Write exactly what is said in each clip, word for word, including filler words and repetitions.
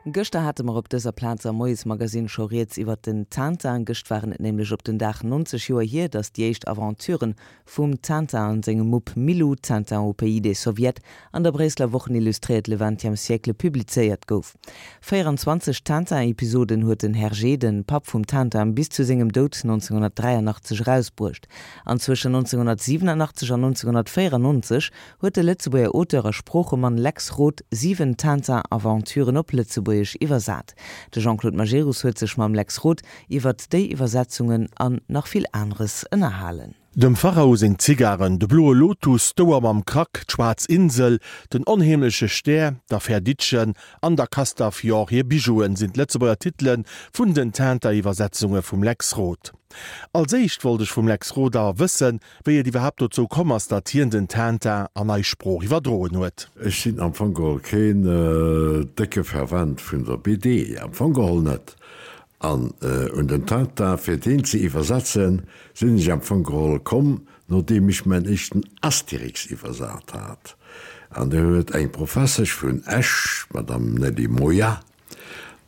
Gëschter hate mer op dëser Plaz am Moiesmagazin scho rieds iwwert den Tintin. Gëscht waren et nämlech op den Dag neunzeg Joer hier, datt déi éischt Aventuren vum Tintin an sengem Mupp Milou, Tintin au pays des Soviets, an der Bréisseler Wochenillustriert Le Vingtième siècle publizéiert gouf. véierenzwanzeg Tintin-Episoden huet den Hergé, de Papp vum Tintin, bis zu sengem Doud nonzénghonnertdräianachtzeg erausbruecht. An zwëschen nonzénghonnertsiwenanachtzeg an nonzénghonnertvéierannonzeg huet de Lëtzebuerger Auteur a Sproochemann Lex Roth siwen Tintin-Aventuren op Lëtzebuergesch iwwersat. De Jean-Claude Majerus huet sech mam Lex Roth iwwert déi Iwwersetzungen an nach vill aneres ënnerhalen. Dem Pharao seng Zigaren, de bloe Lotus, d'Ouer mam Krack, d'schwaarz Insel, den onheemleche Stär, d'Affär Ditchen an der Castafiore hir Bijouen sinn d'Lëtzebuerger Titele vun den Tintin-Iwwersetzunge vum Lex Roth. Als éischt wollt ech vum Lex Roth awer wëssen, wéi et iwwerhaapt dozou komm ass, datt hien den Tintin an eis Sprooch iwwerdroen huet. Ech sinn am Fong geholl keen décke Fervent vun der B D, am Fong geholl net. An un den Tintin, fir deen ze iwwersetzen, sinn ech am Fong geholl komm, nodeem ech mäin éischten Asterix iwwersat hat. An do huet eng Professesch vun Esch, d'Madame Nelly Moya,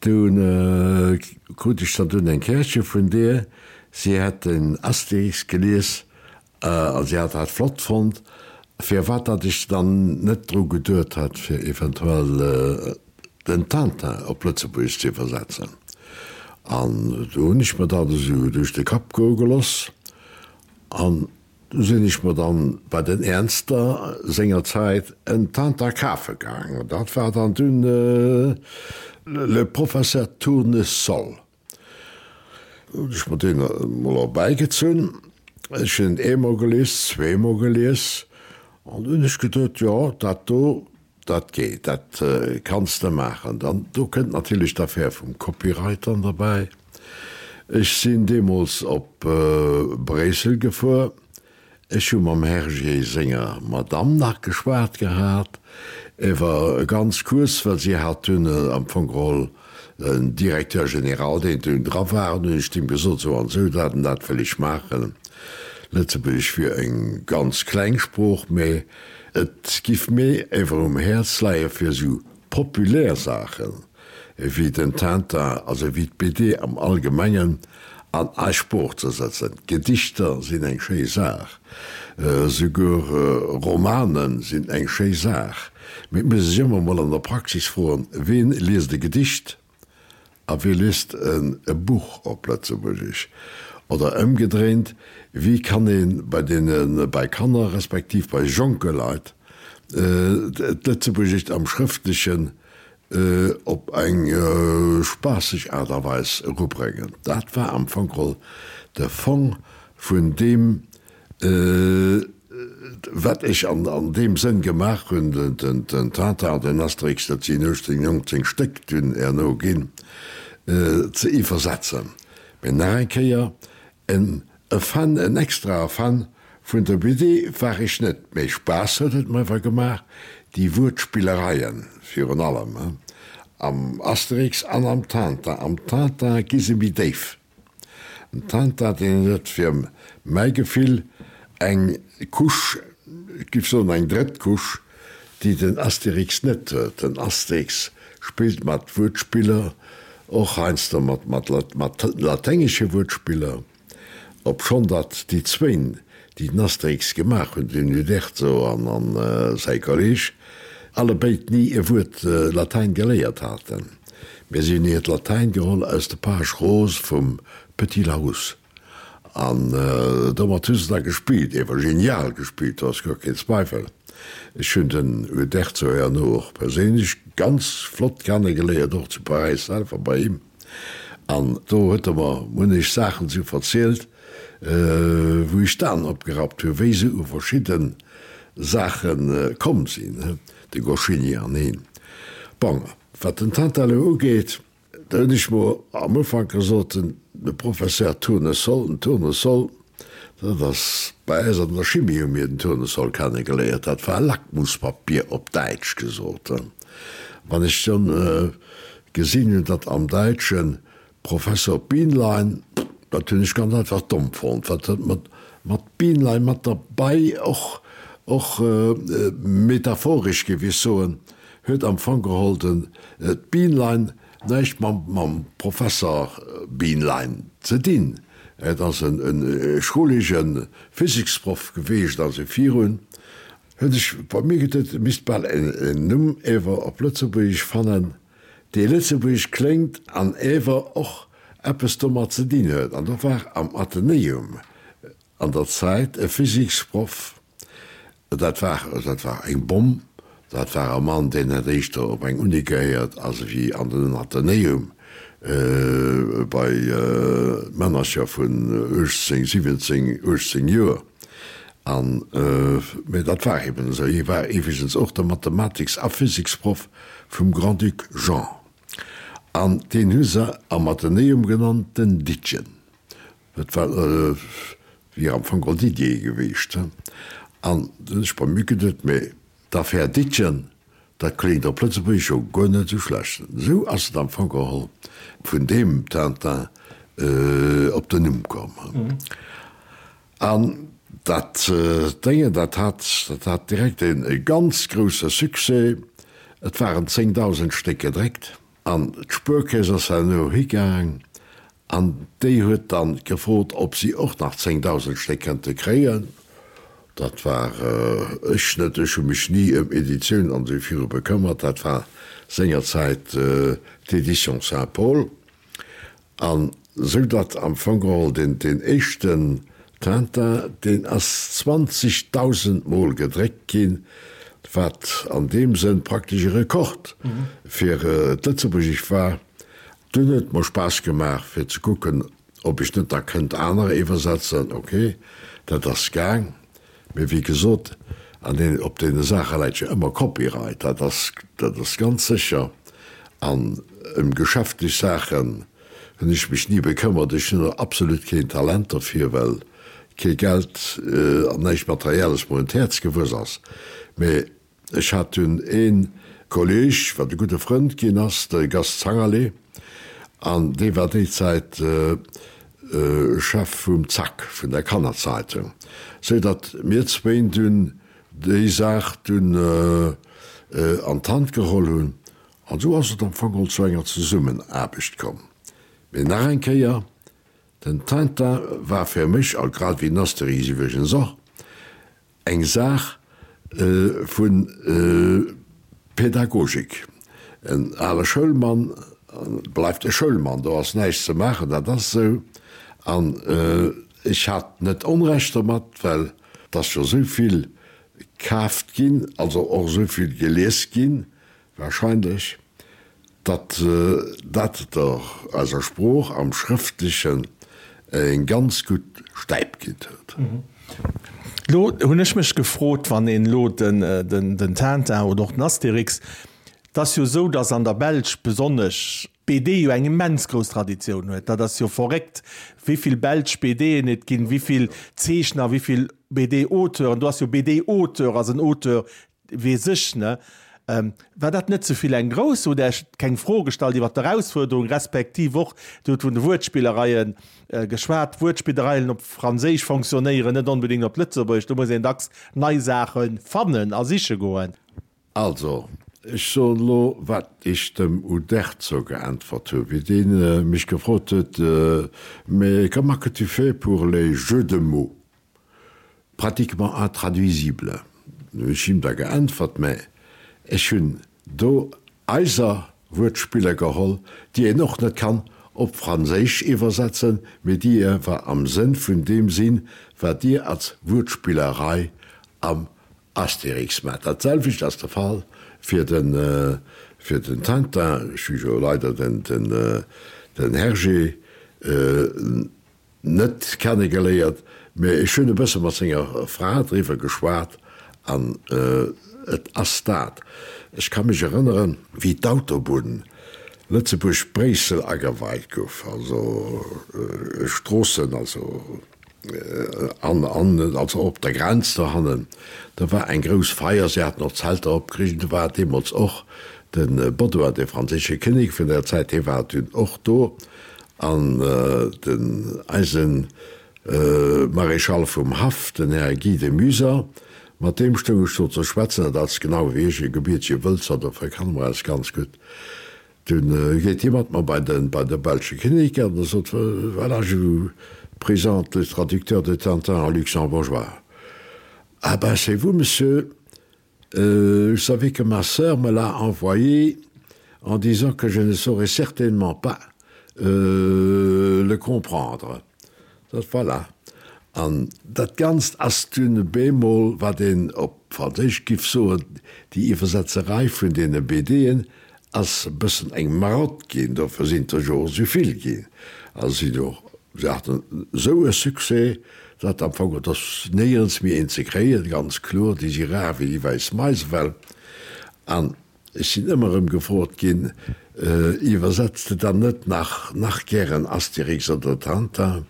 dunn krut ech dann dunn eng Käertche vun deer, si hätt den Asterix gelies a si hat dat flott fonnt, firwat datt ech dann net dru geduet hätt, fir eventuell den Tintin op Lëtzebuergesch ze iwwersetzen. An do hunn ech mer dat esou duerch de Kapp goe geloss an du sinn ech mer dann bei den Ernster sengerzäit en Tintin kafe gaangen. Dat war dann dunn Le Professeur Tournesol. Hunn ech mer deen emol erbäigezunn. Ech hunn en eemol gelies, zweemol gelies an du hunn ech geduet, jo, dat do, dat geet, dat kanns de maachen. Dann, do kënnt natierlech d'Affär vum Copyright dann derbäi. Ech sinn deemools op Bréissel gefuer. Ech hu mam Hergé senger Madamm nach geschwat gehat, ewer ganz kuerz, well si hat dunn am Fong geholl en Directeur général, deen dunn dra war, an hunn ech deem gesot, esou an esou, dat an dat wëll ech maachen. Lëtzebuergesch wier eng ganz kleng Sprooch, mä et giff mir ewer um Häerz leie fir esou populär Saachen ewéi den Tintin, also ewéi d'B D am Allgemengen, an eis Sprooch ze setzen. Gedichter sinn eng schéi Saach, esouguer Romane sinn eng schéi Saach, mee et muss ee sech ëmmer emol an der Praxis froen, Ween liest e Gedicht a wee liest e Buch op Lëtzebuergesch? Oder ëmgedréint, wéi kann ee bei deene, bei Kanner respektiv bei jonke Leit d'Lëtzebuergescht am Schrëftlechen op eng spaasseg Aart a Weis erubréngen? Dat war am Fong geholl de Fong vun deem, wat ech an deem Sënn gemaach hunn. Den Tintin an den Asterix, dat sinn uechtzéng, nonzéng Stéck dunn herno ginn, ze iwwersetzen. Mee nach eng Kéier, en Fan, en extrae Fan vun der B D war ech net, mee Spaass huet et mer ewer gemaach, déi Wuertspillereien, virun allem am Asterix an am Tintin. Am Tintin gi se méi déif. Den Tintin, deen huet fir mäi Gefill eng Couche, ech giff soen eng drëtt Couche, déi den Asterix net huet. Den Asterix spillt mat Wuertspiller, och heiansdo mat mat laténgesche Wuertspiller, obschonn datt déi zwéin, déi den Asterix gemaach hunn, den Uderzo an säi Kolleg, allebéid ni e Wuert Latäin geléiert haten. Mee si hunn hiert Latäin geholl aus de Pages roses vum Petit Larousse. An domat hu se da gespillt, ewer genial gespillt, do ass guer keen Zweifel. Ech hunn den Uderzo herno och perséinlech ganz flott kennegeléiert, och zu Paräis selwer bei him. An do huet e mer munnech Saachen sou verzielt, wou ech d'Aen opgerappt hu wéi se u verschidde Saache komm sinn, de Goscinny an hien. Bon, wat den Tintin elo ugeet, do hunn ech mer am Ufank gesot, de Professeur Tournesol, den Tournesol, dat ass, bei eis an der Chimie hu mir den Tournesol kennegeléiert, dat war Lackmuspapier op Däitsch gesot. Wann ech dann gesinn hunn, datt am Däitschen Professor Bienlein, dat hunn ech ganz einfach domm fonnt, wat huet mat mat Bienlein, mat der Bei, och och metaphoresch géif ech soen, huet am Fong geholl den d'Bienlein näischt mam, mam Professer Bienlein ze dinn. Et ass en, en scholege Physiksproff gewiescht, also virun. Hunn ech bei mir geduet, et misst bal en, en Numm ewer op Lëtzebuergesch fannen, dee lëtzebuergesch kléngt an ewer och eppes domat ze dinn huet. An do war am Athenäum an der Zäit e Physiksproff, dat war, dat war eng Bomm, dat war e Mann, deen hätt éischter op eng Uni gehéiert als ewéi an den Athenäum bei Männercher vun uechtzéng, siwwenzéng, uechtzéng Joer. An, mee dat war eben esou. Hie war iwwregens och de Mathematiks a Physiksproff vum Grand-Duc Jean. An deen hu se am Athenäum genannt den Dittchen. Dat war, wier am Fong geholl Didier gewiescht. An du hunn ech bei mir geduet, mee d'Affär Dittchen, dat kléngt op Lëtzebuergesch jo guer net esou schlecht. Esou ass et am Fong geholl vun deem Tintin op den Numm komm. An dat Déngen, dat hat, dat hat direkt e ganz grousse Succès. Et waren zéngdausend Stéck gedréckt. An d'Spuerkeess ass herno higaang an déi huet dann gefrot, ob si och nach zéngdausend Stéck kënnte kréien. Dat war ech net, ech hu mech ni ëm Editioun an esou viru bekëmmert, dat war sengerzäit d'Éditions Saint-Paul. An esou datt am Fong geholl deen, deen éischten Tintin, deen ass zwanzigtausend Mol gedréckt ginn, wat an deem Sënn praktesch e Rekord fir d'Lëtzebuergesch war. Dunn huet et mer Spaass gemaach fir ze kucken, ob ech net da kënnt anerer iwwersetzen. Ok, dat ass gaang, mee wéi gesot, an deen, op deene Saache läit jo ëmmer Copyright, dat ass, dat ass ganz sécher. An ëm geschäftlech Saachen hunn ech mech ni bekëmmert. Ech hunn och absolut keen Talent derfir, well kee Geld an näischt Materielles mer un d'Häerz gewuess ass. Mee ech hat dunn ee Kolleg, wat e gudde Frënd ginn ass, de Gast Zangerlé, an dee war déi Zäit Chef vum Zack, vun der Kannerzeitung, sou datt mir zwéin dunn déi Saach dunn an d'Hand geholl hunn. An esou ass et am Fong geholl zu enger Zesummenaarbecht komm. Mee nach eng Kéier, Den Tintin war fir mech, a grad wéi den Asterix iwwregens och, eng Saach vu Pädagogik. En ale Schoulmann bleift e Schoulmann, do ass näischt ze maachen, dat ass esou. An ech hat net Onrecht domat, well et ass jo esou vill kaaft ginn, also och esou vill gelies ginn, wahrscheinlech, datt dat der eiser Sprooch am Schrëftlechen eng ganz gutt Stäip ginn huet. Lo hunn ech mech gefrot, wann een elo den Tintin oder och den Astérix, et ass jo esou, datt an der Belsch besonnesch d'B D jo eng immens grouss Traditioun huet. Dat ass jo verréckt, wéi vill belsch B Dën et ginn, wéi vill Zeechner, wéi vill B D-Auteuren. Do ass jo B D-Auteur ass en Auteur, weess ech, ne? War dat net ze vill eng grouss? Hutt Der Iech keng Fro gestallt iwwer d'Erausfuerderung, respektiv och, Dir hutt vun de Wuertspillereie geschwat, Wuertspillereien op Franséisch fonctionnéieren net onbedéngt op Lëtzebuergesch, do muss een dacks nei Saache fannen a siche goen. Also, ech soen elo, wat ech dem Uderzo geäntwert hu wéi dee mech gefrot huet, Mais comment que tu fais pour les jeux de mots pratiquement intraduisibles? Hunn ech him da geäntwert, Mä ech hunn do eiser Wuertspiller geholl, déi een och net kann op Franséisch iwwersetzen, mee déi awer am Sënn vun deem sinn, wat Dir als Wuertspillerei am Astérix maacht. Dat selwecht ass de Fall fir den, fir den Tintin. Ech hu jo leider den, den Hergé net kennegeléiert, mä ech hunn e bësse mat senger Fra driwwer geschwat an et ass dat. Ech ka mech erënneren, wéi d'Autobunn Lëtzebuerg-Bréissel ageweit gouf, also Stroossen, also an, an, also op der Grenz dohannen, do war eng grouss Feier, si haten och Zelter opgeriicht, do war deemools och de Baudouin, de franséische Kinnek vun där Zäit, dee war dunn och do. An den eise Maréchal vum Haff, den Här Guy de Muser, mat deem stoung ech do ze schwätzen, dat ass genau wéi ech, e gebiertege Wëlzer, dofir kenne mer eis ganz gutt. Dunn geet hie mat mer bei de, bei de belsche Kinnek an e sot, Voilà, je vous présente le traducteur de Tintin en luxembourgeois. Ah ben, c'est vous, monsieur? Euh, vous savez que ma sœur me l'a envoyé en disant que je ne saurais certainement pas euh, le comprendre. Dat voilà. An dat Ganzt ass dunn bemol, wat een op Franséisch giff soen, déi Iwwersetzerei vun deene BDen ass e bëssen eng Marott ginn, dofir sinn der jo och esou vill ginn. A se sinn och, se haten esou e Succès, datt am Fong, et ass néierens méi een ze kréien, ganz kloer, déi si rar wéi déi wäiss Mais ewell. An ech sinn ëmmer erëm gefrot ginn, Iwwersetz de dann net nach, nach gären Astérix oder Tintin?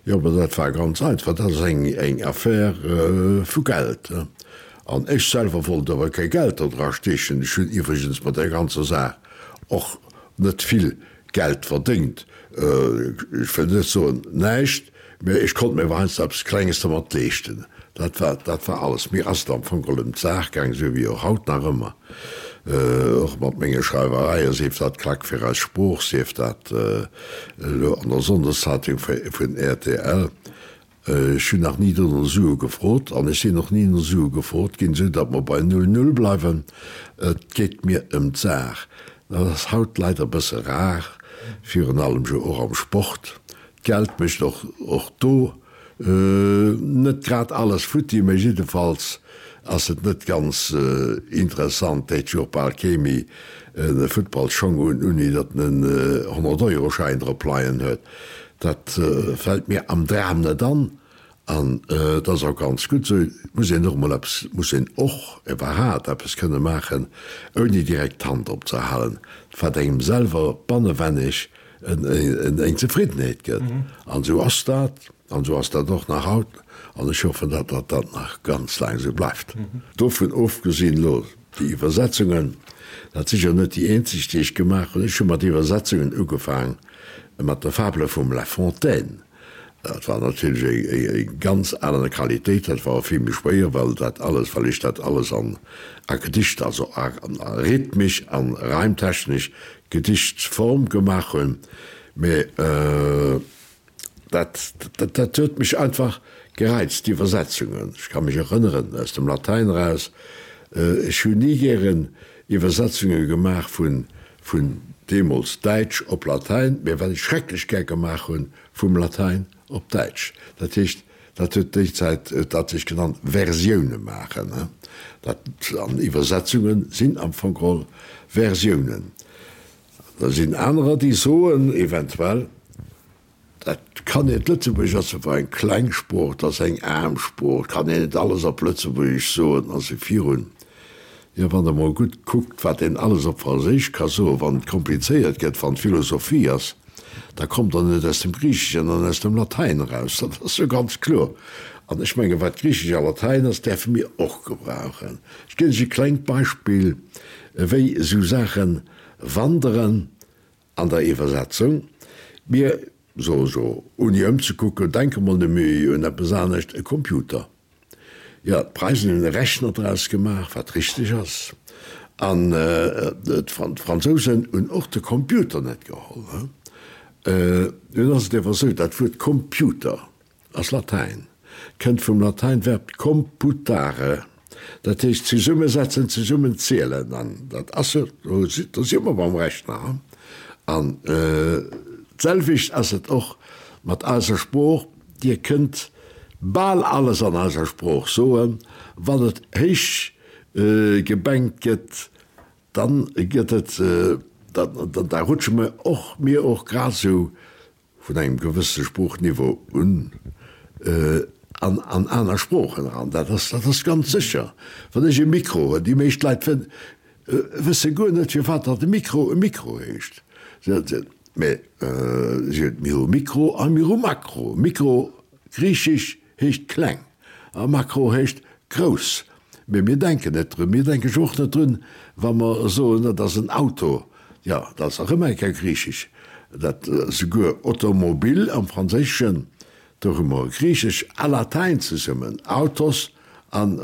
Jo, mä dat war ganz einfach, dat ass eng, eng Affaire vu Geld. An ech selwer wollt awer kee Geld do dra steechen. Ech hunn iwwregens mat där ganzer Saach och net vill Geld verdéngt. Ech wëll net soen näischt, mä ech konnt mir awer heiansdo eppes Klenges dermat leeschten. Dat war, dat war alles. Mir ass et am Fong geholl ëm d'Saach gaang, esou wéi och haut nach ëmmer, och mat menge Schreiwereien, sief dat Klack fir eis Sprooch, sief dat elo an der Sonndeszeitung vun rtl. Ech hunn nach ni do no Sue gefrot an ech sinn och ni no Sue gefrot ginn, esou datt mer bei null, null bleiwen. Et geet mir ëm d'Saach. Dat ass haut leider e bësse rar, virun allem jo och am Sport. D'Geld mécht och och do net grad alles futti, mä jiddefalls ass et net ganz interessant, deet jo och bal kee méi e Futtballschong un, ouni datt en en Honnert-Euro-Schäin drop leien huet. Dat fält mir am Dram net an an et ass och ganz gutt esou. Et muss een och emol eppes, muss een och iwwerhaat eppes kënne maachen, ouni direkt d'Hand opzehalen, wat engem selwer bannewenneg eng Zefriddenheet gëtt. An esou ass dat, an esou ass dat och nach haut, an ech hoffen, datt dat dat nach ganz laang esou bleift. Dovun ofgesinn elo déi Iwwersetzungen, dat si jo net déi eenzeg, déi ech gemaach hunn. Ech hu mat Iwwersetzungen ugefaang mat de Fabele vum La Fontaine. Dat war natierlech eng ganz aner Qualitéit, dat war och vill méi schwéier, well dat alles, well ech dat alles an a Gedicht, also a rhythmesch an reimtechnesch Gedichtform gemaach hunn. Mä dat, dat huet mech einfach gereizt, d'Iwwersetzungen. Ech ka mech erënneren, aus dem Latäin eraus, ech hunn ni gären Iwwersetzunge gemaach vun, vun deemools Däitsch op Latäin, mä wat ech schrecklech gär gemaach hunn, vum Latäin op Däitsch. Dat heescht, dat huet déi Zäit huet dat sech genannt Versioune maachen. Dat, an Iwwersetzunge sinn am Fong geholl Versiounen. Da sinn anerer, déi soen eventuell, dat kann een, d'Lëtzebuergesch ass awer eng kleng Sprooch, dat ass eng aarm Sprooch, kann een net alles op Lëtzebuergesch soen a sou virun. Jo, wann Der mol gutt kuckt, wat een alles op Franséisch ka soen, wann et komplizéiert gëtt, wann et Philosophie ass, da kommt Der net aus dem Griicheschen an aus dem Latäin eraus. Dat ass jo ganz kloer. An ech mengen, wat Griichesch a Latäin ass, däerfe mir och gebrauchen. Ech ginn lech e klengt Beispill, wéi esou Saache wanderen an der Iwwersetzung. Mir soe jo, ouni ëmzekucken, denke mol nëmme un eppes anescht, e Computer. Jo, d'Preisen hunn e Rechner draus gemaach, wat richteg ass. An d'Fransousen hunn och de Computer net geholl. Nun ass et awer esou, dat Wuert Computer ass Latäin, kënnt vum Latäin Verb computare, dat heescht zesummesetzen, zesummenzielen. An dat ass jo, do si mer beim Rechner. An d'selwecht ass et och mat eiser Sprooch. Dir kënnt bal alles an eiser Sprooch soen. Wann et héich gebänkt gëtt, dann gëtt et, da rutsche mer och, mir och grad esou vun engem gewësse Sproochniveau un an an aner Sproochen eran. Dat ass, dat ass ganz sécher. Wann ech e Mikro hunn, déi meescht Leit wësse guer net, firwat datt e Mikro e Mikro heescht. Mä mir hu Mikro a mir hu Makro. Mikro, griichesch, heescht kleng a Makro heescht grouss. Mä mir denken net drun. Mir denke jo och net drun, wa mer soen, dat ass en Auto. Jo, dat ass erëm eng Kéier griichesch. Dat souguer Automobil am Franséischen, do hu mer Griichesch a Latäin zesummen. Autos an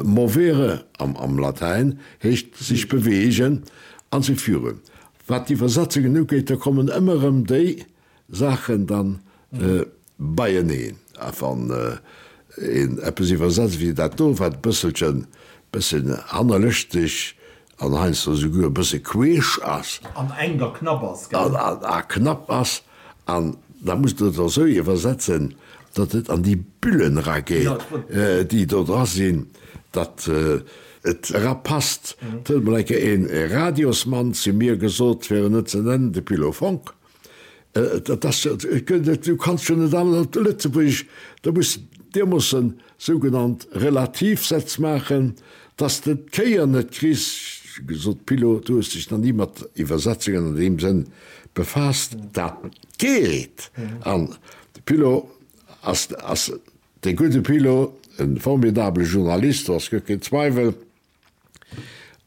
movere am Latäin heescht sech beweegen an se führen. Wat d'Iwwersetzungen ugeet, do kommen ëmmer erëm déi Saachen dann beieneen. A wann een eppes iwwersetzt wéi dat do, wat e bësselchen, bëssen hannerlëschteg an heiansdo esouguer e bësse queesch ass. An enk a knapp ass, gell? A knapp ass. An da muss de et och esou iwwersetzen, datt et an déi Bullen erageet, déi do dra sinn, datt et erapasst. Et huet emol eng Kéier e Radiosmann zu mir gesot, fir en net ze nennen, de Pilo Fonck, Dat ass, du kanns jo net alles op Lëtzebuergesch, da muss deermoossen sougenannt Relativsätz maachen, dass de d'Kéier net kriss. Ech hu gesot, Pilo, du hues dech nach ni mat Iwwersetzungen an deem Sënn befaasst, dat geet. An de Pilo ass, ass de gudde Pilo, e formidabele Journalist, do ass guer keen Zweiwel.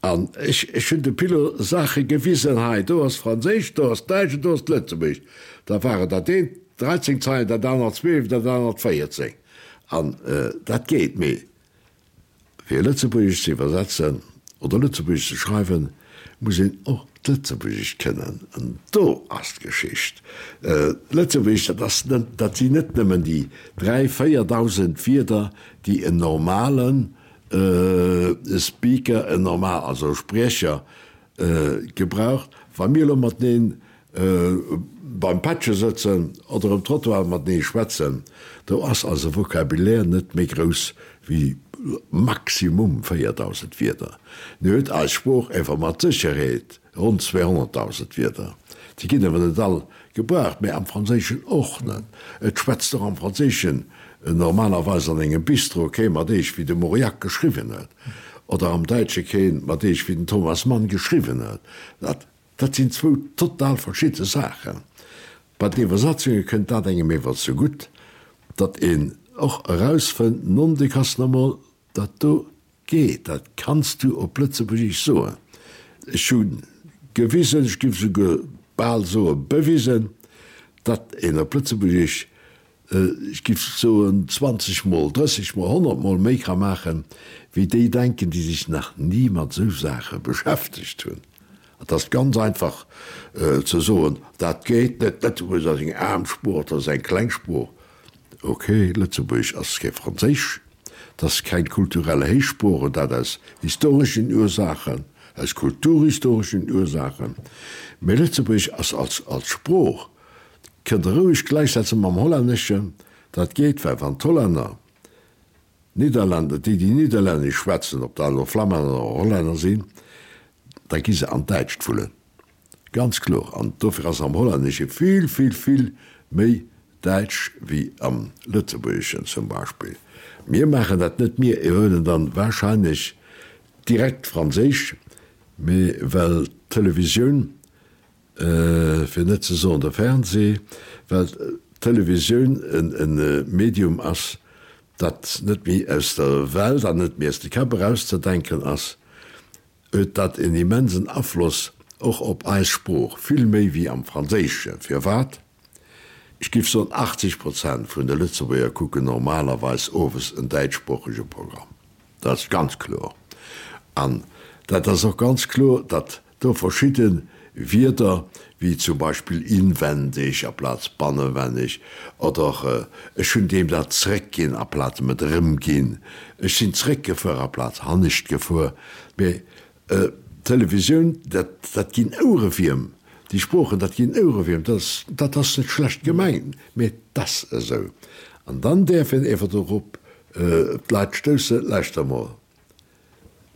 An ech, ech hunn de Pilo Saache gewisen, hei, do ass Franséisch, do ass Däitsch an do ass Lëtzebuergesch. Da waren dat eent dräizéng Zeilen, dat anert zwielef, dat anert véierzéng. An dat geet. Mee fir Lëtzebuergesch ze iwwersetzen oder Lëtzebuergesch ze schreiwen, muss een och d'Lëtzebuergescht kënnen. An do ass d'Geschicht. Lëtzebuergesch, dat ass net, dat sinn net nëmmen déi dräi, véierdausend Wierder, déi en normalen Speaker, en normal, also e Spriecher gebraucht. Wa mir elo mateneen beim Pättche sëtzen oder um Trottoir matenee schwätzen, do ass eise Vocabulaire net méi grouss wéi maximum véierdausend Wierder. Nu huet eis Sprooch ewer mat Sécherheet ronn zweehonnertdausend Wierder. Déi ginn awer net all gebraucht, mä am Franséischen och net. Et schwätzt och am Franséischen normalerweis an engem Bistro kee mat Eech wéi de Mauriac geschriwwen huet, oder am Däitsche kee mat Eech wéi den Thomas Mann geschriwwen huet. Dat, dat sinn zwou total verschidde Saachen. Bei den Iwwersetzunge kënnt dat engem ewer zegutt, datt een och erausfënnt, nondikass, dat do geet, dat kanns du op Lëtzebuergesch soen. Ech hu gewisen, ech géif souguer bal soe bewisen, datt een op Lëtzebuergesch, ech géif soen zwanzeg mol, drësseg mol, honnert mol méi ka maachen, wéi déi denken, déi sech nach ni mat esou Saache beschäftegt hunn. Et ass ganz einfach ze soen, dat geet net, Lëtzebuergesch ass eng aarm Sprooch, dat ass eng kleng Sprooch. Ok, Lëtzebuergesch ass kee Franséisch, et ass keng kulturell Héichsprooch, an dat aus historeschen Ursaachen, aus kulturhistoreschen Ursaachen, mee Lëtzebuergesch ass als als Sprooch, kënnt Der roueg gläichsetzen mam Hollänneschen, dat geet, well wann d'Hollänner, Nidderländer, déi déi Nidderlännesch schwätzen, ob dat elo Flammänner oder Hollänner sinn, da gi se an d'Däitscht wullen. Ganz kloer. An dofir ass am Hollännesche vill, vill, vill méi Däitsch wéi am Lëtzebuergeschen zum Beispill. Mir maachen dat net, mir huelen dann wahrscheinlech direkt Franséisch, mee well d'Televisioun, fir net ze soen de Fernseh, well d'Televisioun e Medium ass, dat net méi aus der Welt an net méi aus de Käpp erauszedenken ass, huet dat en immensen Afloss och op eis Sprooch, vill méi wéi am Franséischen. Firwat? Ech géif soen, achtzeg Prozent vun de Lëtzebuerger kucken normalerweis owes en däitschsproochege Programm. Dat ass ganz kloer. An dat ass och ganz kloer, datt do verschidde Wierder, wéi zum Beispill inwendig aplaz bannewenneg oder ech hunn deem dat zréckginn aplaz em et erëmginn, ech sinn zréckgefuer aplaz hannescht gefuer, mee D'Televisioun, dat, dat ginn Ouerewierm, déi Sproochen, dat ginn Ouerewierm, dat ass, dat ass net schlecht gemengt, mee et ass esou. An dann däerf een ewer dorop d'Leit stoussen, Lauschter emol,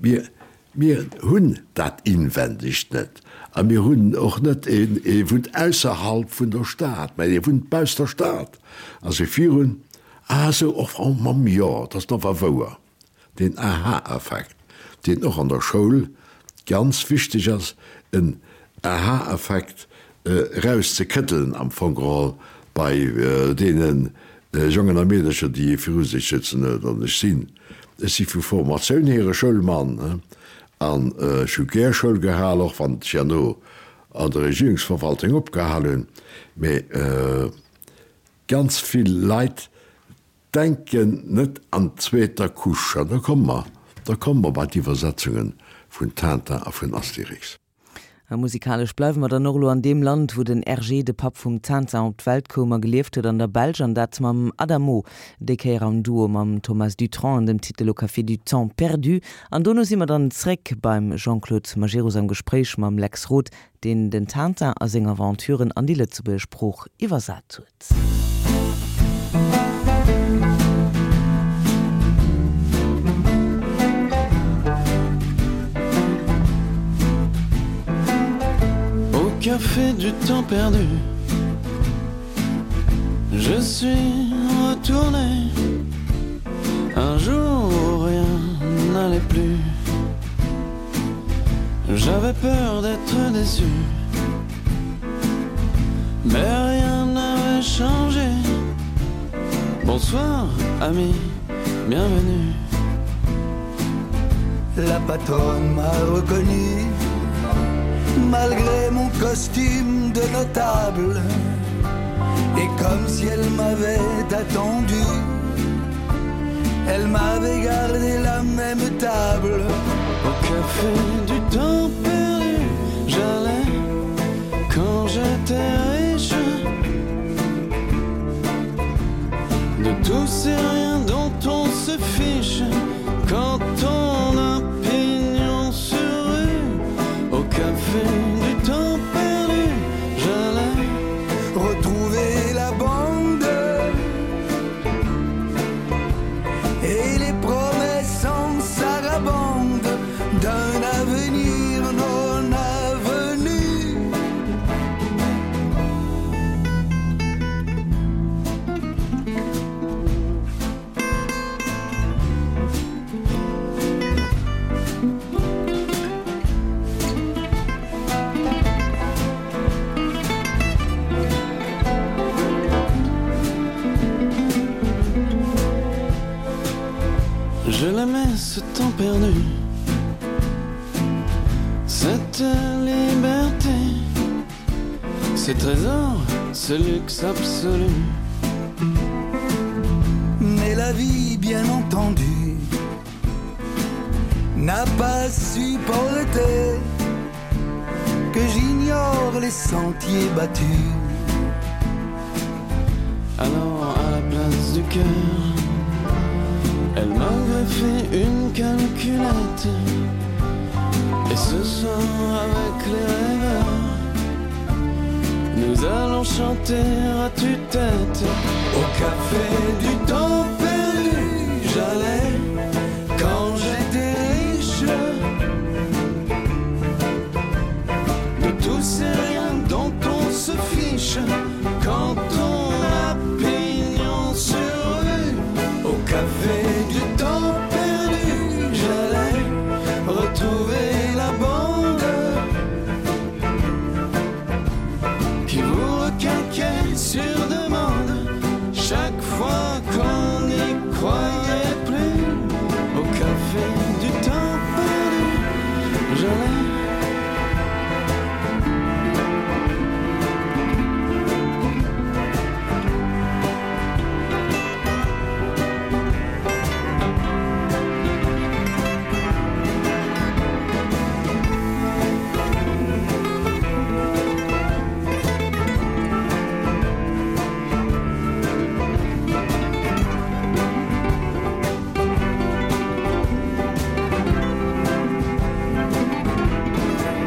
mir, mir hunn dat Inwendegt net a mir hunn och net een, ee wunnt ausserhalb vun der Stad, mä ee wunnt bausst der Stad. A se virun, ah esou, och, oh Mamm, jo, dat ass awer wouer. Den Aha-Effekt, deen och an der Schoul ganz wichteg ass, en Aha-Effekt erauszekëttelen am Fong geholl bei deene Jongen a Meedercher, déi ee viru sech sëtzen huet. An ech sinn, ech si vu Formatioun hier e Schoulmann an ech hu gär Schoul gehal, och wann ech herno an der Regierungsverwaltung opgehal hunn. Mee ganz vill Leit Denken net an zweeter Couche. An da komme mer, da komme mer bei d'Iwwersetzunge vun Tintin a vun Astérix. Musikalesch bleiwe mer dann och elo an deem Land, wou den Hergé, de Papp vum Tintin, op d'Welt koum a gelieft huet, an der Belsch, an dat mam Adamo, déi Kéier am Duo mam Thomas Dutronc an dem Titel Au café du temps perdu. An dono si mer dann zréck beim Jean-Claude Majerus am Gespréich mam Lex Roth, deen den Tintin a seng Aventuren an déi lëtzebuergesch Sprooch iwwersat huet. Au café du temps perdu Je suis retourné Un jour où rien n'allait plus J'avais peur d'être déçu Mais rien n'avait changé Bonsoir ami, bienvenue La patronne m'a reconnu Malgré mon costume de notable Et comme si elle m'avait attendu Elle m'avait gardé la même table Au café du temps perdu J'allais quand j'étais riche De tous ces riens dont on se fiche Quand on a pignon sur rue Au café du temps perdu J'allais retrouver la bande Et les promesses en sarabande D'un avenir non avenu Je l'aimais ce temps perdu Cette liberté Ces trésors, ce luxe absolu Mais la vie bien entendu N'a pas supporté Que j'ignore les sentiers battus Alors à la place du cœur Elle m'a greffé une calculette Et ce soir avec les rêveurs Nous allons chanter à tue-tête Au café du temps perdu J'allais quand j'étais riche De tous ces riens dont on se fiche Quand on a pignon sur rue Au café du temps perdu J'allais retrouver la bande Qui vous requinquait sur demande Chaque fois qu'on n'y croyait plus Au café du temps perdu J'allais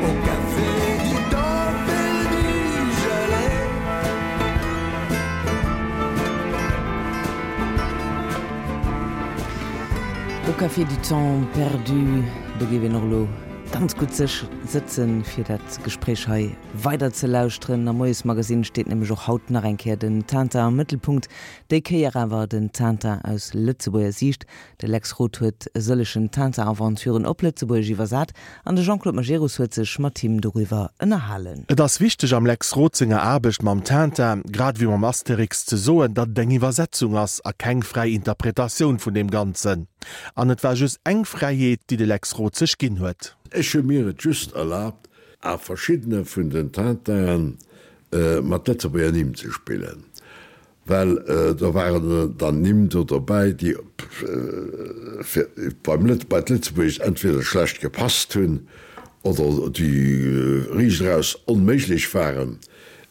Au café du temps perdu j'allais Au café du temps perdu, do géif een och elo ganz gutt sech sëtzen, fir dat Gespréich hei weider ze lauschteren. Am Moiesmagazin steet nämlech och haut nach eng Kéier den Tintin am Mëttelpunkt, déi Kéier awer den Tintin aus Lëtzebuerger Siicht. De Lex Roth huet e sëllegen Tintin-Aventuren op Lëtzebuergesch iwwersat an de Jean-Claude Majerus huet sech mat him doriwwer ënnerhalen. Et ass wichteg am Lex Roth senger Aarbecht mam Tintin, grad wéi mam Asterix, ze soen, datt et eng Iwwersetzung ass a keng fräi Interpretatioun vun deem Ganzen. An et war just eng Fräiheet, déi de Lex Roth sech ginn huet. Ech hu mir et just erlaabt, a verschiddene vun den Tintinen mat Lëtzebuerger Nimm ze spillen, well do waren dann Nimm do dobäi, déi fir beim Lët bei d'Lëtzebuergescht entweder schlecht gepasst hunn oder déi riicht eraus onméiglech waren.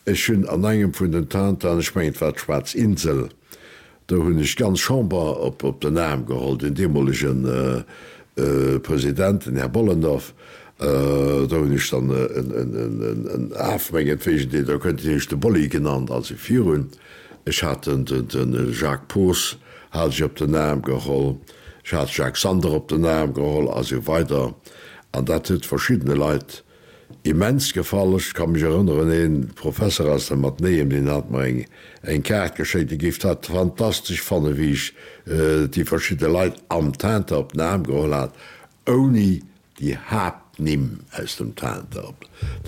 Ech hunn an engem vun den Tintin, ech mengen et war d'Schwaarz Insel, do hunn ech d'ganz Chamber op op den Aarm geholl, den deemolege President, den Här Bollendorf, do hunn ech dann en Af mengetwegen, deen do kënnt, deen hunn ech de Bolli genannt, also virun. Ech hat den de Jacques Poos hat ech op den Aarm geholl, ech hat Jacques Sander op den Aarm geholl a sou weider. An dat huet verschiddene Leit immens gefall. Ech ka mech erënneren, een Professer aus dem Atheneum, deen hat mer eng eng Kaart geschéckt, dee géif dat fantastesch fanne wéi ech déi verschidde Leit am Tintin op den Aarm geholl hat, ouni déi Haaptnimm aus dem Tintin.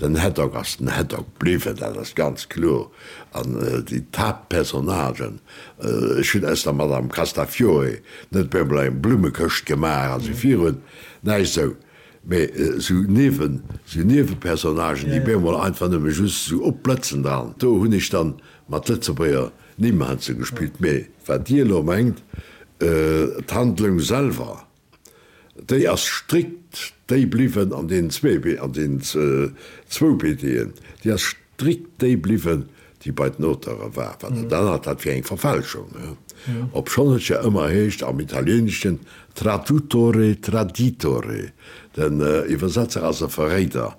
Den Haddock ass den Haddock bliwwen, dat ass ganz kloer. An déi d'Haaptpersonnagen, ech hunn aus der Madame Castafiore net op eemol eng Blummekëscht gemaach a sou virun, näischt esou, mee esou Niewen, esou Niewepersonnagen, déi op eemol einfach nëmme just esou opblëtzen dran. Do hunn ech dann mat Lëtzebuerger Nimm heiansdo gespillt. Mee wat Dir elo mengt, d'Handlung selwer, Déi ass strikt déi bliwwen an deenen zwee, an deenen zwou BDen, déi ass strikt déi bliwwen, déi bei den Auteure war. Wat dat anert, dat wier eng Verfälschung, obschonn et jo ëmmer heescht am Italieeneschen traduttore, traditore, den Iwwersetzer ass e Verréider.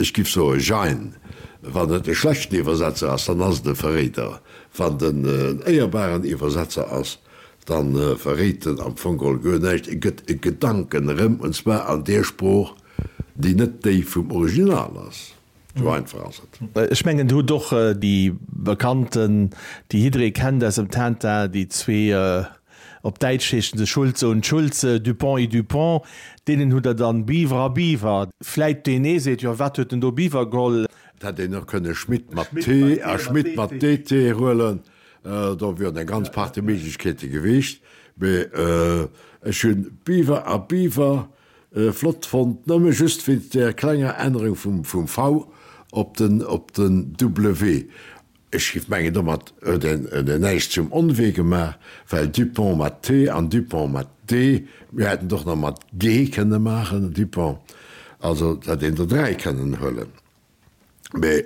Ech giff soe jein. Wann et e schlechten Iwwersetzer ass, dann ass et e Verréider. Wann en en éierbaren Iwwersetzer ass, Dann verréit en am Fong geholl guer näischt, e gëtt e Gedanken erëm, und zwar an där Sprooch, déi net déi vum Original ass. Sou einfach ass et. Ech mengen, Dir hutt och déi bekannten, déi jidderee kennt aus dem Tintin, déi zwee, op Däitsch heeschen se Schulze und Schulze, Dupont et Dupont, deenen hutt Der dann Biwer a Biwer. Vläit deen ee seet, jo wat huet en do Biwer geholl? Et hätt een och kënne Schmitt mat T a Schmidt mat D T huelen. Do wieren eng ganz Partie Méiglechkeete gewiescht, mee ech hunn Beaver a Biwer flott fonnt, nëmme just wéinst där klenger Ännerung vum V op den op den W. Ech géif mengen, domat huet een näischt zum Onwee gemaach, well Dupont mat T an Dupont mat D, mir hätten et och nach mat G kënne maachen, Dupont, also et hätt een der dräi kënnen huelen. Mee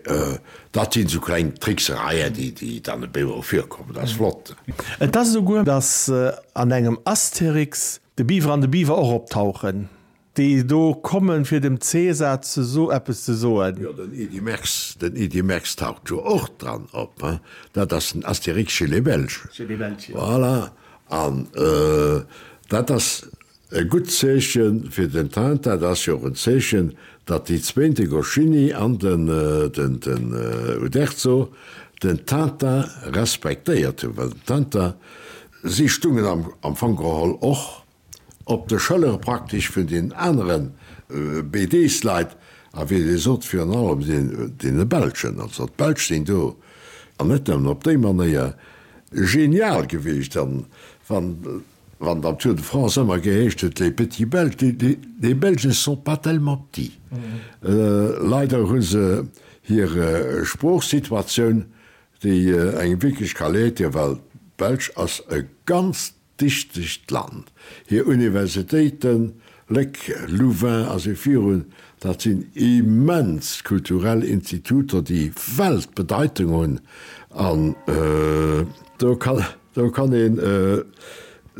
dat sinn esou kleng Tricksereien, déi dann op eemol virkommen. Dat ass flott. Et ass esouguer, datt an engem Astérix de Beaver an de Biwer och optauchen, déi do kommen, fir dem Cäsar ze so eppes ze soen. Jo, den Edy Merckx, den Edy Merckx taucht jo och dran op, hein. Dat ass den Astérix chez les Belges. Chez les Belges, jo. Voilà. An dat ass E gutt Zeeche fir den Tintin, dat ass jo och en Zeechen, datt déi zwéin, de Goscinny an den Uderzo, den Tintin respektéiert hunn, well den Tintin, si stungen am Fong geholl och op de Schëllere praktesch vun deenen anere B D's-Leit a wéi Dir sot, virun allem deene Belschen. Also d'Belsch sinn do, an net nëmmen op déi Manéier, genial gewiescht. An wann Wann am Tour de France ëmmer geheescht huet, les petits Belges, les Belges ne sont pas tellement petits. Leider hu se hir Sproochsituatioun, déi engem wierklech ka leed dinn, well d'Belsch ass e ganz dichtegt Land. Hir Universitéiten, Léck, Louvain a sou virun, dat sinn immens kulturell Instituter, déi Weltbedeitung hunn an do kann, Do kann een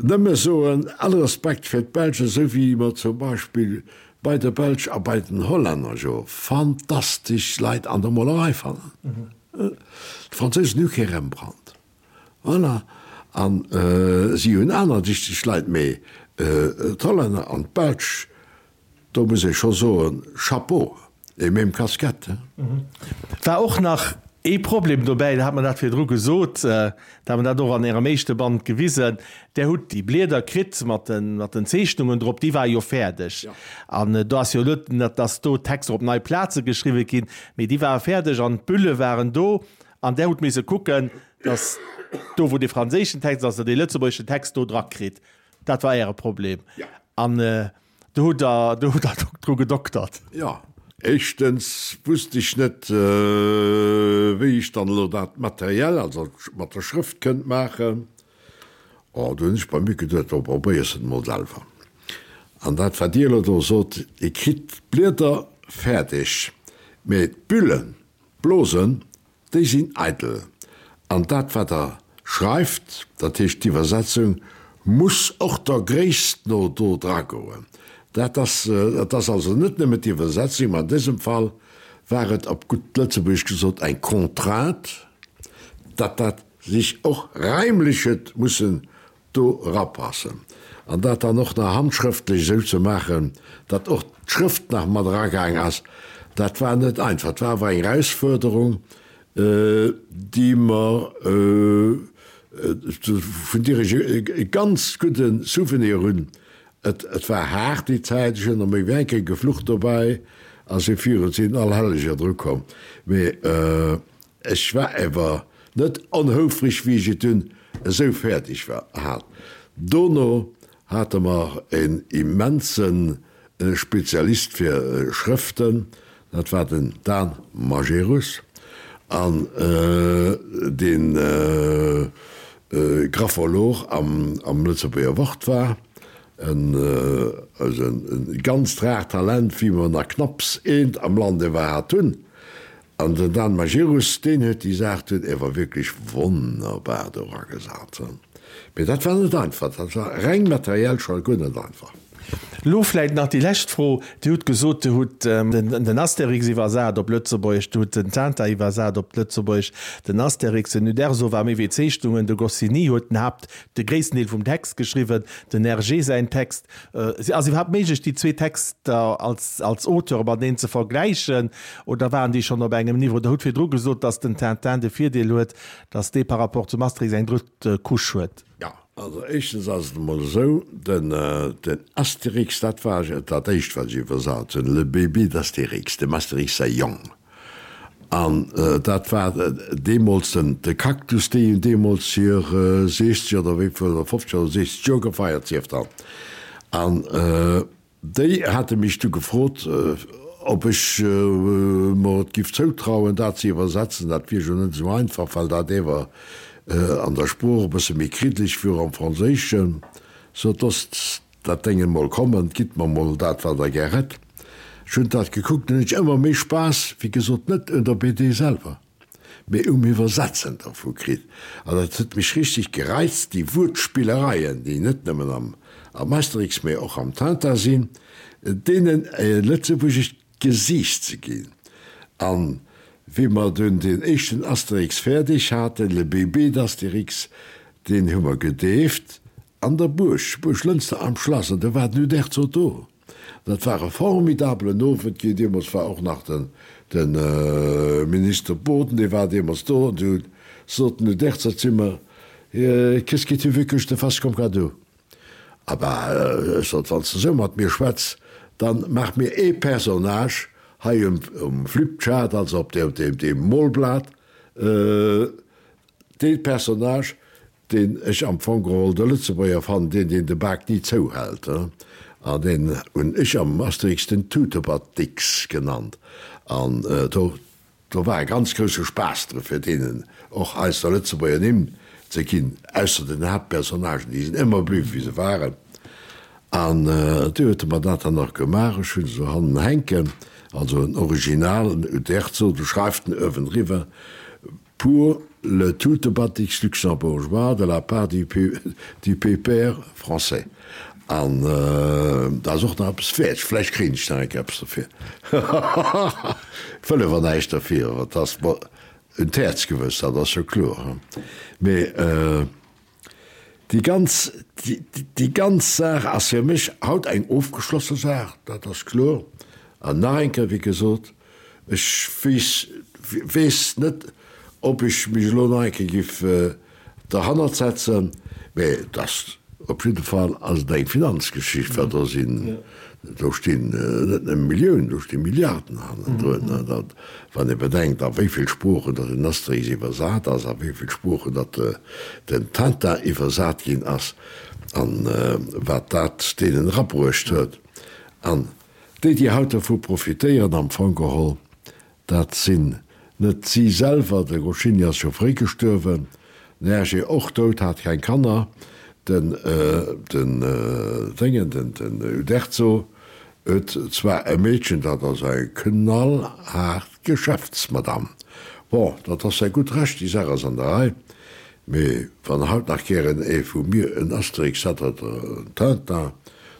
nëmme soen, all Respekt fir d'Belsch, esou wéi mer zum Beispill bei de Belsch a bei den Hollänner jo fantastesch Leit an der Molerei fannen. D'Fransousen hu kee Rembrandt, voilà, a si hunn aner dichteg Leit, mee d'Hollänner an d'Belsch, Do muss ee scho soen, Chapeau et même casquette. War och nach ee Problem dobäi, da hat mer dat virdru gesot, da hat mer dat och an Ärem éischte Band gewisen, Der hutt déi Blieder kritt mat den, mat den Zeechnungen drop, déi ware jo fäerdeg. An do ass jo elo net, dass do Texter op nei Plaze geschriwwe ginn, mee déi ware fäerdeg an d'Bulle waren do an Der hutt misse kucken, dass do, wou dee franséischen Text ass, Der dee lëtzebuergeschen Text do drakritt. Dat war Äre Problem. An Do hutt Der, do hutt Der dru gedoktert. Jo. Éischtens wusst ech net, wéi ech dann elo dat materiell, also mat der Schrëft kënnt maachen. Oh, do hunn ech bei mir geduet, oh, probéiers et emol selwer. An dat, wat Dir elo do sot, Dir kritt d'Blieder fäerdeg, mee d'Büllen, d'Blosen, déi sinn eidel. An dat, wat Der schreift, dat heescht d'Iwwersetzung, muss och der Gréisst no do dragoen. Dat ass, dat ass also net nëmme d'Iwwersetzung, mä an dësem Fall war et op gutt Lëtzebuergesch gesot eng Contrainte, datt dat sech och raimlech huet mussen do erapassen. An dat dann och nach handschrëftlech esou ze maachen, datt och d'Schrëft nach mat eragaang ass, dat war net einfach. Dat war awer eng Erausfuerderung, déi mer, vun deer ech e ganz gudde Souvenir hunn. Et war haart déi Zäit, ech hunn nach méi wéi eng Kéier geflucht dobäi a si virun sinn all Helleger drukomm. Mee ech war ewer net onhoufreg, wéi ech et dunn esou fäerdeg war hat. Dono hate mer en immense Spezialist fir Schrëften, dat war den Dan Majerus, an deen Grapholog am Lëtzebuerger Wort war, en ganzt rart Talent, wéi mer nach knapps eent am Land iwwerhat hunn. An den Dan Majerus, deen huet déi Saach dunn ewer wierklech wonnerbar do eragesat. Mee dat war net einfach, dat war reng materiell scho guer net einfach. Lo vläit nach déi lescht Fro, Dir hutt gesot, Dir hutt den Astérix iwwersat op Lëtzebuergesch, Dir hutt den Tintin iwwersat op d'Lëtzebuergesch. Den Astérix, den Uderzo war méi wéi Zeechnungen, de Goscinny huet den Haapt, de gréissten Deel vum Text geschriwwen, den Hergé säin Text. Ass iwwerhaapt méiglech, déi zwee Texter als, als Auteure mateneen ze vergläichen oder waren déi schonn op engem Niveau? Der hutt virdru gesot, datt den Tintin de Virdeel huet, datt dee par rapport zum Asterix eng drëtt Couche huet. Jo, also éischtens ass et emol esou, den, den Astérix, dat war dat éischt, wat ech iwwersat hunn, Le bébé d'Astérix, dem Astérix säi Jong. An dat war deemools den, de Cactus, déi hunn deemools hir siechzeg oder wéi vill, oder fofzeg oder siechzeg Joer gefeiert, sief dann. An déi hate mech du gefrot, ob ech mer et giff zoutrauen, dat ze iwwersetzen. Dat wier jo net esou einfach, well dat ewer an der Sprooch e bësse méi kriddeleg wier am Franséischen. Sot, Loosst dat Déngen mol kommen, gitt mer mol dat, wat der gär hätt. Ech hunn dat gekuckt, hunn ech ëmmer méi Spaass, wéi gesot, net un der B D selwer, mee um Iwwersetzen dervu kritt. An dat huet mech richteg gereizt, déi Wuertspillereien, déi net nëmmen am am Asterix, mee och am Tintin sinn, deenen e lëtzebuergescht Gesiicht ze ginn. An wéi mer dunn deen éischten Asterix fäerdeg haten, Le bébé d'Astérix, deen hu mer gedeeft an der Buerg, Buerglënster am Schlass, an do war den Uderzo do. Dat war e formidabelen Owend ginn. Deemools war och nach den Minister Boden, dee war deemools do, an du sot den Uderzo zu mer, Qu'est-ce que tu veux que je te fasse comme cadeau? Ah ben, ech sot, wann s de esou mat mir schwätz, dann maach mir ee Personnage hei um Flipchart, also op deem Molblat, dee Personnage, deen ech am Fong geholl de Lëtzebuerger fannen, deen, deen de Bak ni zouhält, an deen hunn ech am Asterix den Tutebatix genannt. An do, do war e ganz grousse Spaass dru fir deenen och eis der Lëtzebuerger Nimm ze ginn, ausser den Haaptpersonnagen, déi sinn ëmmer bliwwen, wéi se waren. An du huet e mer dat dann nach gemaach, ech hunn se do hannen hänken, also en Original, en Uderzo, du schreift en uewendriwwer, Pour le Toutebatix luxembourgeois de la part du du pépère français. An da ass och nach eppes wäert. Vläicht kréien ech nach eng Kéier eppes derfir. Ech wëll awer näischt derfir, awer et ass mer un d'Häerz gewuess, dat ass jo kloer. Mee déi ganz, déi ganz Saach ass fir mech haut eng ofgeschlosse Saach, dat ass kloer. An nach eng Kéier, wéi gesot, Ech weess, weess net, ob ech mech elo nach eng Kéier giff derhannert setzen, mä et ass op jidde Fall ass et eng Finanzgeschicht, well do sinn, do stinn net nëmme Milliounen, do sti Milliarden hannendrun. Dat, wann ee bedenkt, a wéi vill Sproochen datt den Asterix iwwersat ass, a wéi vill Sproochen datt den Tintin iwwersat ginn ass, an wat dat deenen erabruecht huet. An Déi, déi haut dovu profitéieren, am Fong geholl, dat sinn net si selwer, de Goscinny ass jo fréi gestuerwen, den Hergé och dout, hat keng Kanner, den, den Déngen, den, den Uderzo, huet zwar e Meedchen, dat ass eng knallhaart Geschäftsmadame. Bon, dat ass säi gutt Recht, déi Saach ass an der Rei. Mee wann haut nach gären ee vu mir en Asterix hätt oder en Tintin,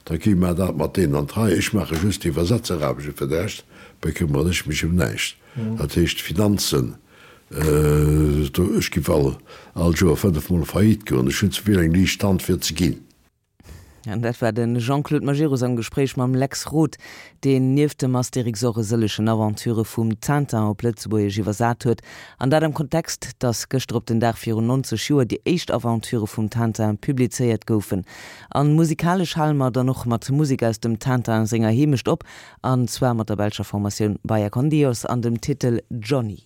da gi mer dat mat deenen an d'Rei. Ech maache just d'Iwwersetzeraarbecht, fir de Rescht bekëmmeren ech mech ëm näischt. Dat heescht Finanzen, do, ech giff all all Joer fënnef Mol faillite goen, ech hunn ze vill eng liicht Hand fir ze ginn. An dat war de Jean-Claude Majerus am Gespréich mam Lex Roth, deen nieft dem Astérix och e sëllegen Aventurë vum Tintin op Lëtzebuergesch iwwersat huet. An dat am Kontext, datt gëschter op den Dag virun neunzeg Joer déi éischt Aventurë vum Tintin publizéiert goufen. An musikalesch hale mer dann och mat Musek aus dem Tintin senger Heemecht op, an zwar mat der belscher Formatioun Vaya Con Dios an dem Titel Johnny.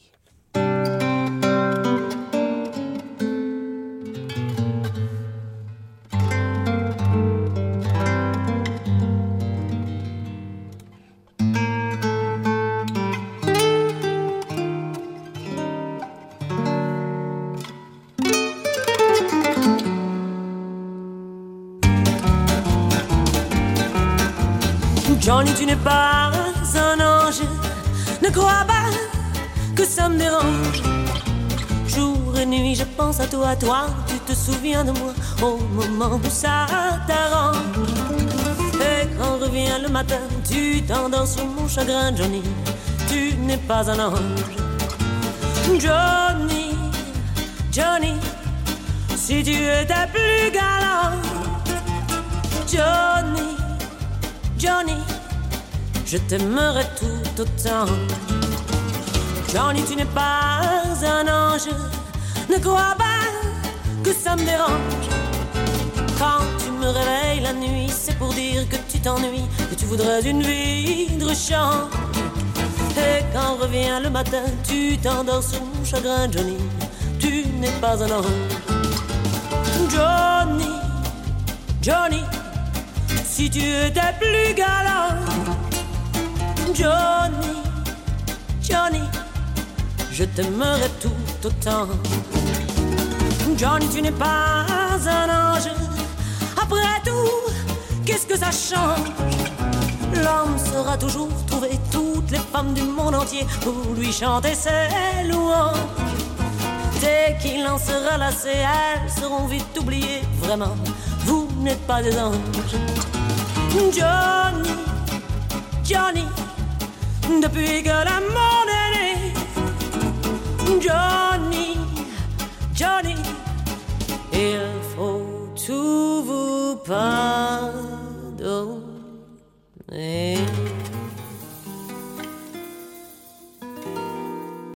Johnny, tu n'es pas un ange. Ne crois pas que ça me dérange. Jour et nuit, je pense à toi, toi, tu te souviens de moi au moment où ça t'arrange. Et quand revient le matin, tu t'endors sur mon chagrin, Johnny. Tu n'es pas un ange. Johnny, Johnny, si tu étais plus galant, Johnny, Johnny, je t'aimerais tout autant. Johnny, tu n'es pas un ange, ne crois pas que ça me dérange. Quand tu me réveilles la nuit, c'est pour dire que tu t'ennuies, que tu voudrais une vie de rechange. Et quand revient le matin, tu t'endors sur mon chagrin, Johnny, tu n'es pas un ange. Johnny, Johnny, si tu étais plus galant, Johnny, Johnny, je t'aimerais tout autant. Johnny, tu n'es pas un ange. Après tout, qu'est-ce que ça change? L'homme saura toujours trouver toutes les femmes du monde entier pour lui chanter ses louanges. Dès qu'il en sera lassé, elles seront vite oubliées. Vraiment, vous n'êtes pas des anges. Johnny, Johnny, depuis que la monde est née, Johnny, Johnny, il faut tout vous pardonner.